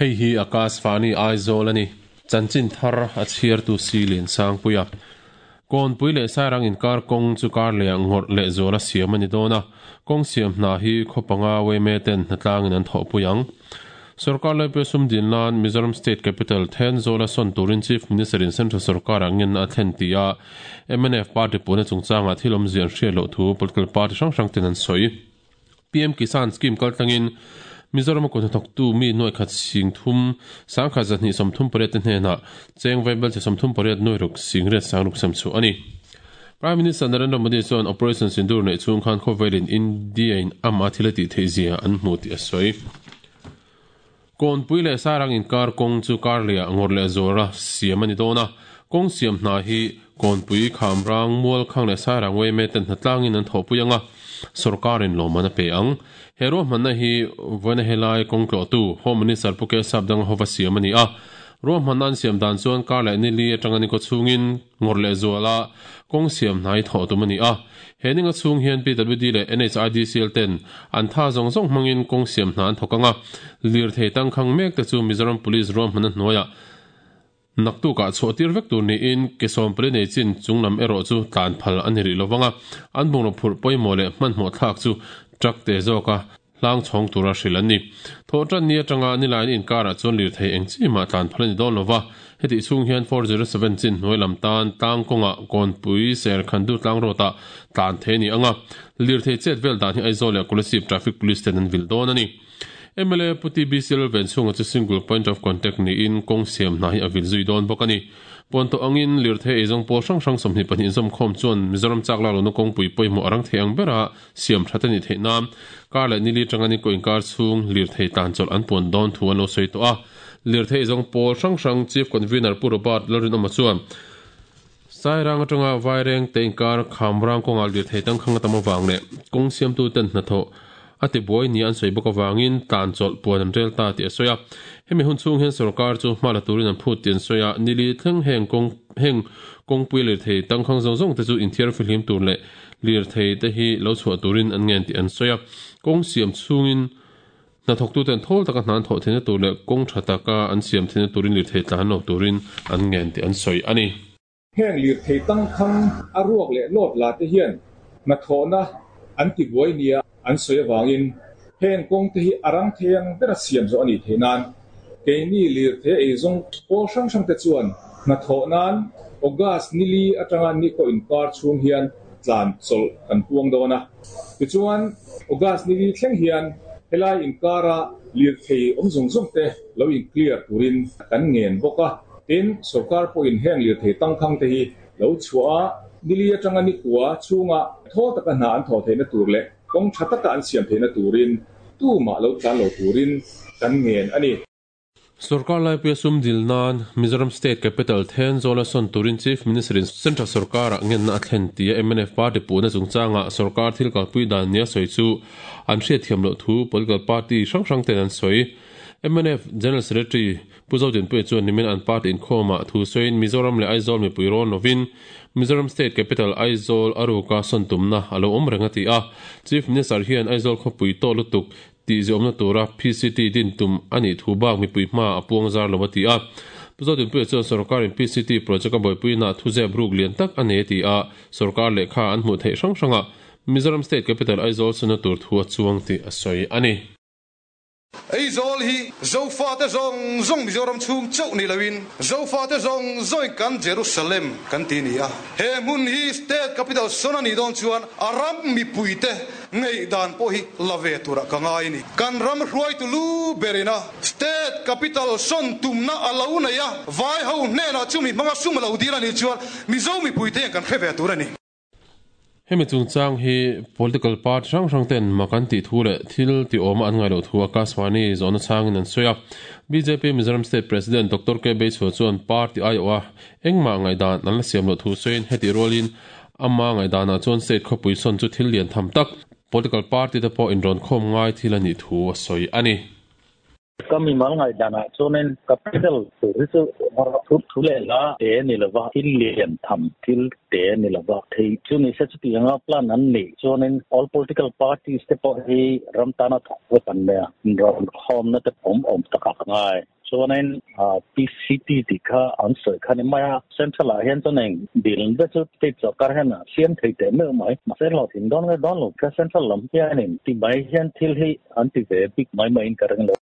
Hei hi Akashvani Aizawl a ni. Chanchin thar a chhiartu si Liansangpuia. Kawnpui leh Sairang inkar kawng chu kar leh ngawrh leh zuala siam a ni dawn a, kawng siam hna hi khaw panga yma ten hnatlangin an thawhpui ang. Sorkar laipui sum dil nan Mizoram State Capital Thenzawl a sawn turin Chief Minister in Central sorkarah ngenna a thlen tih a mnf party puhna chungchangah thil awmzia an hriat loh thu political party hrang hrang ten an sawi. PM Kisan Scheme kaltlangin Mizoram a kut hnathawktu mi nuaih khat sing thum sangkhat zahnih 38 te hnenah cheng vaibelchhe 38 nuai ruk sing riat sang ruk sem chhuah a ni. Prime Minister Narendra Modi chuan Operation Sindoor neih chhung khan khawvelin India in amah thil a tih theih zia an hmu tih a sawi. Kawnpui leh Sairang inkar kawng chu kar lehah ngawrh leh zuara siam a ni dawn a, kawng siam hna hi Kawnpui, Khamrang, Mualkhang leh Sairang yma ten hnatlangin an thawhpui ang a, sawrkarin lawmman a pe ang. He ruahmanna hi vawiina helai kawng tlawhtu Home Minister Pu Kesap Danga hova siam a ni a, ruahmanna an siam dan chuan kar leh nili atanga ni kaw chhungin ngawrh leh zuala kawng siam hna hi thawh tum a ni a. He ninga chhung hian PWD leh NHIDCL ten an tha zawng zawng hmangin kawng siam hna an thawk ang a, lirthei tangkhang mek te chu Mizoram Police ruahmanna hnuaiah naktukah chhuah tir vek tur niin ke 14 nei chin chunglam erawh chu tlan phal a ni rih lovang a, an bungraw phurh pawimawh leh hmanhmawh thlak chu truck te zawka hlang chhawng tura hrilh an ni. Thawhtan ni atanga nilain inkarah chuan lirthei eng chi mah tlan phal a ni dawn lova, hetih chhung hian 407 chin hnuai lam tan tlang kawngah Kawnpui ser Khandu tlang road ah tlan thei a ni ang a, lirthei chet vel dan hi Aizawl leh Kolasib Traffic Police ten an vil dawn a ni. Mla Pu TBC Lalvenchhunga chu Single Point of Contact niin kawng siam hna hi a vil zui dawn bawk a ni. Puantawh angin lirthei eizawng pawl hrang hrang 22 inzawmkhawm chuan Mizoram chak lak lohna kawngpui pawimawh a rang thei ang bera siam that a nih theih nan kar leh nili atanga ni kaw inkar chhung lirthei tlan chawlh an puan dawn thu an lo sawi tawh a. Lirthei eizawng pawl hrang hrang Chief Convener Pu Robert Lalrinawma chuan Sairang atanga Vaireng te inkar Khamrang kawngah lirthei tangkhang a tam avang leh kawng siamtu ten hnathawh a tibuai nia an sawi bawk avangin tlan chawlh puan an rel ta tih a sawi a. Hemi hun chhung hian sorkar chu hma la turin an phut tih an sawi a, nili thleng heng kawng heng kawngpui lirthei tangkhang zawng zawng te chu inthiar fihlim tur leh lirthei te hi lo chhuah turin an ngen tih an sawi a. Kawng siam chhungin hnathawktuten thawl taka hna an thawh theihna tur leh kawng tha taka an siam theihna turin lirthei tlan lo turin an ngen tih an sawi a ni. Heng lirthei tangkhang a ruak leh lawt la te hian hnathawhna an tibuai nia an sawi avangin heng kawng te hi a rang thei ang bera siam zawh a nih theih nan keini lirthei eizawng pawl hrang hrang te chuan hnathawh nan August nili atanga ni kaw inkar chhung hian tlan chawlh kan puang dawn a. Tichuan August nili thleng hian helai inkara lirthei awm zawng zawng te lo in clear turin kan ngen bawk a. Tin, sorkar pawhin heng lirthei tangkhang te hi lo chhuah a, nili atanga ni kua chhunga thawl taka hna an thawh theihna tur leh kawng tha taka an siam theihna turin tumah lo tlan lo turin kan ngen a ni. Sorkar laipuia sum dil nan Mizoram State Capital Thenzawl a sawn turin Chief Minister in Central sorkarah ngenna a thlen tia mnf party puhna chungchangah sorkar thil kalpui dan nia sawi chu an hriatthiam loh thu political party hrang hrang ten an sawi. Mnf General Secretary Pu Zodinpuia chuan nimin an party inkhawmah thu sawiin Mizoram leh Aizawl mipui rawn lovin Mizoram State Capital Aizawl a ruka sawn tumna a lo awm reng a ti a. Chief Minister hian Aizawl khawpui tawh lutuk tih ziawmna tura PCT din tum a nih thu bak mipui hmaah a puang zar lo a ti a. Pu Zodinpuia chuan sorkarin PCT project a buaipuinaah thuzep ruk lian tak a nei a ti a, sorkar lehkha an hmuh theih hrang hrangah Mizoram State Capital Aizawl sawnna tur thu a chuang tih a sawi a ni. Aizawl hi Zofate zawng zawng Mizoram chhung chauh ni loin Zofate zawng zawngin kan Jerusalem kan ti ni a. He hmun hi State Capital sawn a nih dawn chuan a ram mipuite ngaihdan pawh hi la ve turah ka ngai a ni. Kan ram hruaitu lu berin a State Capital sawn tumna a lo nei a, vai ho hnenah chumi hmanga sum a lo dil a nih chuan Mizo mipuite hian kan hre ve tur a ni. Hemi chungchang hi political party hrang hrang ten mak an tih thu leh thil ti awma an ngaih loh thu Akashvani zawhna changin an sawi a. Bjp Mizoram State President Doctor K Beichhua chuan party aiawha engmah ngaihdan an la siam loh thu sawiin hetih rualin ama ngaihdanah chuan state khawpui sawn chu thil lian tham tak political party te pawh inrawnkhawm ngai thil a nih thu a sawi a ni. Ka mimal ngaihdanah chuanin capital tur hi chu thu thu leh hla te a ni lova, thil lian tham thil te a ni lova. Thei chu ni se chutianga plan an nih chuanin all political parties te pawh hi ram tana thawk vek an nia, inrawnkhawmna te awm awm takah ka ngai. Chuanin PCT tih kha an sawi kha ni mai a, Central ah hian chuan eng dil te chu state sorkar hian a siam thei teh meuh mai. Mahse hlawhtling dawn nge dawn lo kha Central lam hianin ti mai hian thil hi an ti ve bik mai maiin ka ring lo.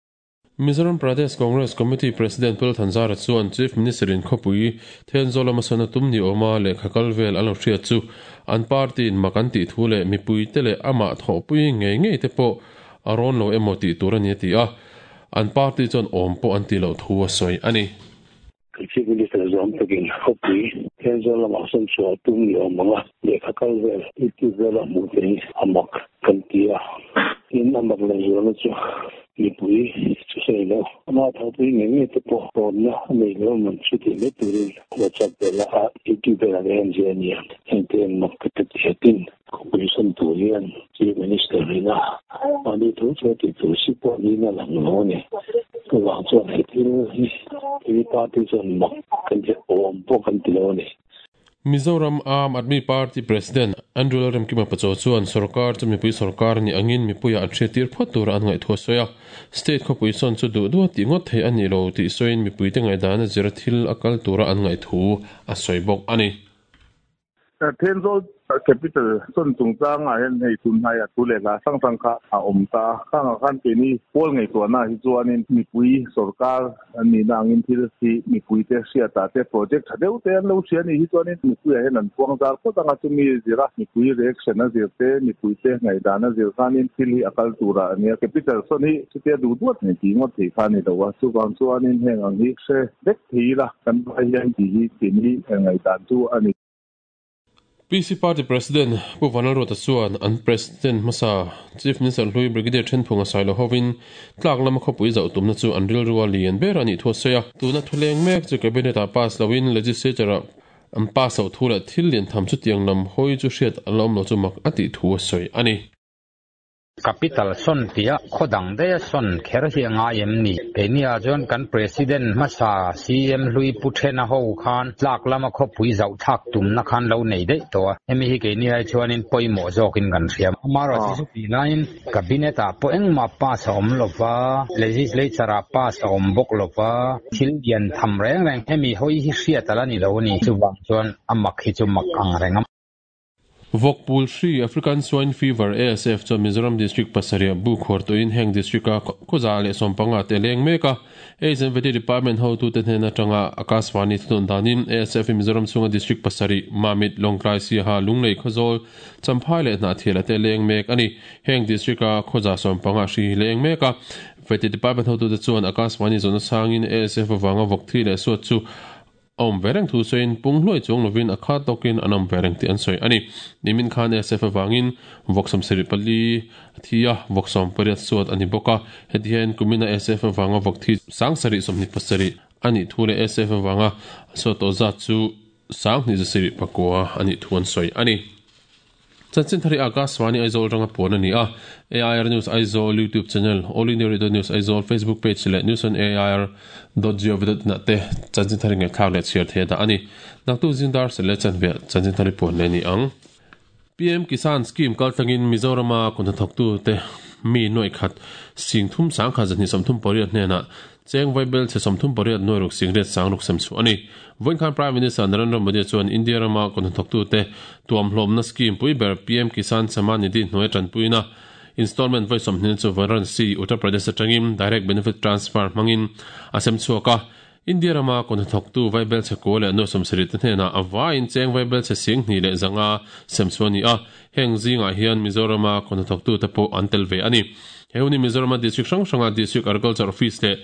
Mizoram Pradesh Congress Committee President Pu Thanzara chuan Chief Minister in khawpui Thenzawl lama sawn a tum ni awma lehkha kal vel a lo hriat chu an party in mak an tih thu leh mipuite leh amah thawhpui ngei ngei te pawh a rawn lo emaw tih tur a ni a ti a. An party chuan awm pawh an tih loh thu a sawi a ni. Chief Minister zawm takin khawpui Thenzawl lamah sawn chhuah tum ni awm ang a, lehkha kal vel, YouTube vela hmuh te hi a mak kan ti a. Tin, a mak leh zualna chu mipui chu sawi lo, ama thawhpui ngei ngei te pawh tawnna a nei lo man chu tih mai turin WhatsApp vela YouTube velah te hian ziah a ni a. Hengte hian mak ka ti tih a tin. Khawpui sawn tur hian Chief Minister ina mahni thu chu a tih tur si pawh niin a lang lo a ni. Chuvang chuan he thil hi hi party chuan mak kan ti awm pawh kan ti lo a ni. Mizoram Aam Aadmi Party President Andrew Lalremkima Pachaw chuan sorkar chu mipui sorkar a nih angin mipuiah an hriattir phawt tura an ngaihtuah a sawi a. State khawpui sawn chu duh duh a tih ngawt theih a nih lo tih sawiin mipuite ngaihdan a zira thil a kal tura an ngaihthu a sawi bawk a ni. Thenzawl Capital sawn chungchangah hian hei tunhnaiah thu leh hla hrang hrang kha a awm ta a. Khangah khan keini pawl ngaihtuahna hi chuanin mipui sorkar an nihna angin thil hi mipuite hriatah te project tha deuh te an lo hria anih hi chuanin mipuiah hian an puang zar phawt ang a, chumi zira mipui reaction a zir te, mipuite ngaihdan a zir khanin thil hi a kal turah a nia. Capital sawn hi chutia duh duat nei tih ngawt thei kha a ni lo a, chuvang chuanin heng ang hi hre vek thei ila kan vai hian tih hi keini ngaihdan chu a ni. PC Party President Pu Vanlalruata chuan an President hmasa Chief Minister hlui Brigadier Thenphunga Sailo hovin tlak lama khawpui zauh tumna chu an rilrua lian ber a nih thu a sawi a. Tuna thuleng mek chu Cabinet ah pass loin Legislature ah an pass loh thu leh thil lian tham chutiang lam hawi chu hriat an la awm lo chu mak a tih thu a sawi a ni. Capital sawn piah khaw dang daia sawn kher hi a ngai em ni? Keini-ah chuan kan President hmasa CM hlui Pu Thena ho khan tlak lama khawpui zauh thlak tumna khan lo nei daih tawh a, hemi hi keini ai chuanin pawimawh zawkin kan hria. Amaherawhchu chu chutih laiin Cabinet-ah pawh engmah pass a awm lova, Legislature-ah pass a awm bawk lova, thil lian tham reng reng hemi hawi hi hriat a la ni lo a ni. Chuvang chuan a mak hi chu mak ang reng a. Vawkpul hri, African Swine Fever, ASF, chuan Mizoram District pasarih bu khuar tawhin heng district-a khawza leh sawmpanga te a leng mek a. AIDS and Vety Department hotute hnen atanga Akashvani thunawn danin ASF hi Mizoram chhunga district pasarih, Mamit, Lawngtlai, Siaha, Lunglei, Khawzawl, Champhai leh Hnahthiala te a leng mek a ni. Heng district-a khawza sawmpanga hri hi leng mek a. Vety Department hotute chuan Akashvani zawhna sangin ASF avanga vawk thi leh suat chu A awm ve reng thu sawiin pung hluai chuang lovin a kha tawkin an awm ve reng tih an sawi a ni. Nimin khan ASF avangin vawksawm sarih pali a thi a, vawksawm pariat suat a ni bawk a. Heti hian kumina ASF avanga vawk thi sangsarih sawmhnih pasarih a nih thu leh ASF avanga a suat tawh zat chu sanghnih zasarih pakua a nih thu an sawi a ni. Chanchin thar hi Akashvani Aizawl ranga puan a ni a, AIR News Aizawl YouTube channel, All India Radio News Aizawl Facebook page leh News on AIR dot gov dot in ah te chanchin thar hi ngaihthlak leh chhiar thei a dah a ni. Naktuk zingdar sel leh chanve chanchin thar hi puan leh a ni ang. PM Kisan Scheme kaltlangin Mizorama kut hnathawktute mi nuaih khat sing thum sangkhat zahnih 38 hnenah Cheng Vaibel chhe 38 nuai ruk singriat sang ruk sem chhuah a ni. Vawiin khan Prime Minister Narendra Modi chuan India rama kut hnathawktute tuamhlawmna scheme pui ber PM Kisan Samman Nidhi hnuaia tanpuina installment vawi 20 chu Varanasi, Uttar Pradesh atangin Direct Benefit Transfer hmangin a sem chhuak a. India rama kut hnathawktu Vaibel chhe kua leh nuai 70 te hnenah a vaiin Cheng Vaibel chhe sing hnih leh zanga sem chhuah a ni a. Heng zingah hian Mizorama kut hnathawktute pawh an tel ve a ni. He hun hi Mizorama district hrang hranga District Agriculture Office leh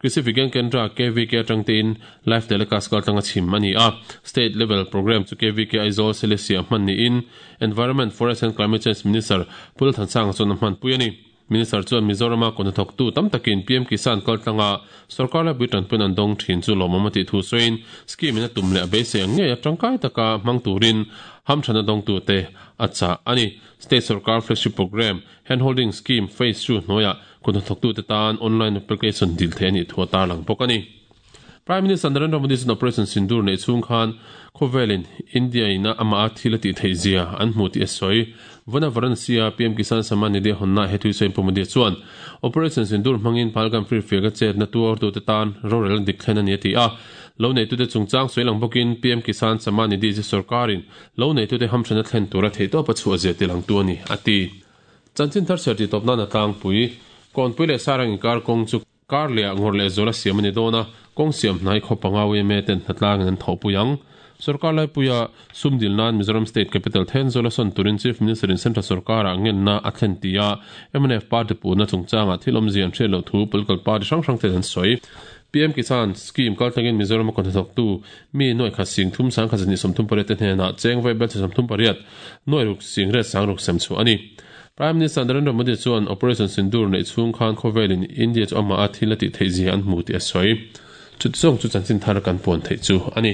Krishi Vigyan Kendra, KVK, atang tein live telecast kaltlanga chhim a ni a. State level programme chu KVK Aizawl Selesih-ah hman niin Environment, Forest and Climate Change Minister Pu Lalthansanga chuan a hmanpui a ni. Minister chuan Mizorama kut hnathawktu tam takin PM Kisan kaltlanga sorkar laipui tanpuiin an dawng thin chu lawmawm a tih thu sawiin scheme in a tum leh a beisei ang ngei a tangkai taka hmang turin hamthanna dawngtute a chah a ni. State sorkar flagship programme Handholding Scheme Phase Two hnuaiah Kuthnathawktute tan online application dil theih a nih thu a tarlang bawk a ni. Prime Minister Narendra Modi chuan Operation Sindoor neih chhung khan khawvelin India in a amah a thil a tih theih zia an hmu tih a sawi. Vana Varanasi-a PM Kisan Samman Nidhi a hawnnaah he tui sawiin Pu Modi chuan Operation Sindoor hmangin Pahalgam Free Field-a chetna tuartute tan rorel dik thlen a ni a ti a. Lo neitute chungchang sawi lang bawkin PM Kisan Samman Nidhi chu sorkarin lo neitute hamthanna thlen tura theihtawp a chhuah zia tilangtu a ni, a ti. Chanchin thar chhiar tih tawp nan a tlangpui. Kawnpui leh Sarang inkar kawng chu kar leh ah ngawrh leh zual a siam a ni dawn a, kawng siam hnai khaw panga yma ten hnatlangin an thawhpui ang. Sorkar laipuia sum dil nan Mizoram State Capital Thenzawl a sawn turin Chief Minister in Central sorkarah ngenna a thlen ti a, mnf party puhna chungchangah thil awmzia an hriat loh thu political party hrang hrang ten an sawi. PM Kisan Scheme kaltlangin Mizoram a kawhnathawktu mi nuaih khat sing thum sang khat zahnih 38 te hnenah cheng vawi bel 38 nuaih ruk sing riat sang ruk sem chhuah a ni. Prime Minister Narendra Modi chuan Operation Sindoor neih chhung khan khawvelin India chu amah a thil a tih theih zia an hmu tih a sawi. Chutizawng chu chanchin thar kan puan theih chu a ni.